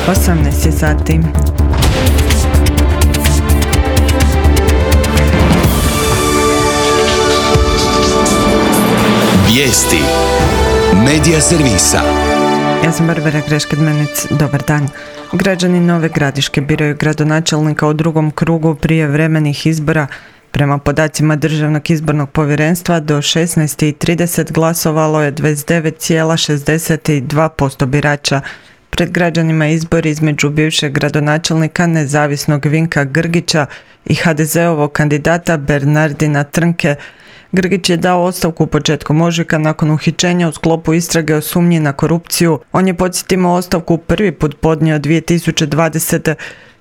18 sati. Vijesti Medija servisa. Ja sam Barbara Greškedmenic, dobar dan. Građani Nove Gradiške biraju gradonačelnika u drugom krugu prijevremenih izbora. Prema podacima Državnog izbornog povjerenstva do 16:30 glasovalo je 29,62% birača. Pred građanima izbor između bivšeg gradonačelnika nezavisnog Vinka Grgića i HDZ-ovog kandidata Bernardina Trnke. Grgić je dao ostavku početkom ožujka nakon uhićenja u sklopu istrage o sumnji na korupciju. On je, podsjetimo, ostavku prvi put podnio 2020.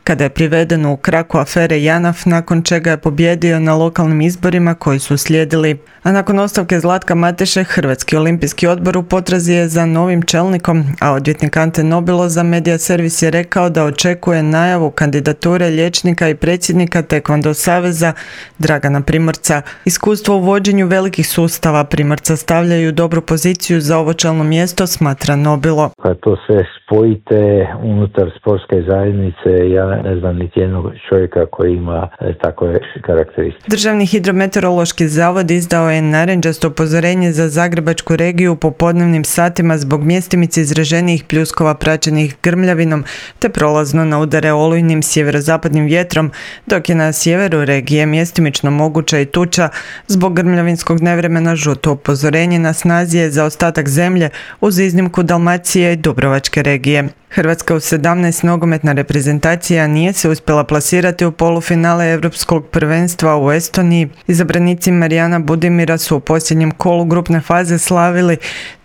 kada je priveden u kraku afere JANAF, nakon čega je pobijedio na lokalnim izborima koji su slijedili. A nakon ostavke Zlatka Mateše, Hrvatski olimpijski odbor u potrazi je za novim čelnikom, a odvjetnik Ante Nobilo za Medija servis je rekao da očekuje najavu kandidature liječnika i predsjednika Taekwondo saveza Dragana Primorca. Iskustvo u vođenju velikih sustava Primorca stavljaju u dobru poziciju za ovo čelno mjesto, smatra Nobilo. Kad to sve spojite unutar sportske zajednice, ja ne znam niti jednog čovjeka koji ima takve karakteristike. Državni hidrometeorološki zavod izdao je narančasto upozorenje za Zagrebačku regiju u popodnevnim satima zbog mjestimice izraženijih pljuskova praćenih grmljavinom te prolazno na udare olujnim sjeverozapadnim vjetrom, dok je na sjeveru regije mjestimično moguća i tuča. Zbog grmljavinskog nevremena žuto upozorenje na snazi je za ostatak zemlje uz iznimku Dalmacije i Dubrovačke regije. Hrvatska u 17 nogometna reprezentacija nije se uspjela plasirati u polufinale Europskog prvenstva u Estoniji. Izabranici Marijana Budimira su u posljednjem kolu grupne faze slavili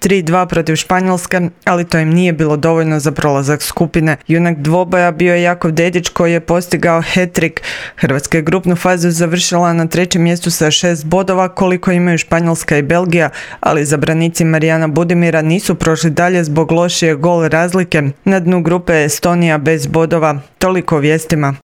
3-2 protiv Španjolske, ali to im nije bilo dovoljno za prolazak skupine. Junak dvoboja bio je Jakov Dedić koji je postigao hat-trick. Hrvatska je grupnu fazu završila na 3. mjestu sa 6 bodova koliko imaju Španjolska i Belgija, ali izabranici Marijana Budimira nisu prošli dalje zbog lošije gol razlike. Na dnu grupe Estonija bez bodova. Toliko o vijestima.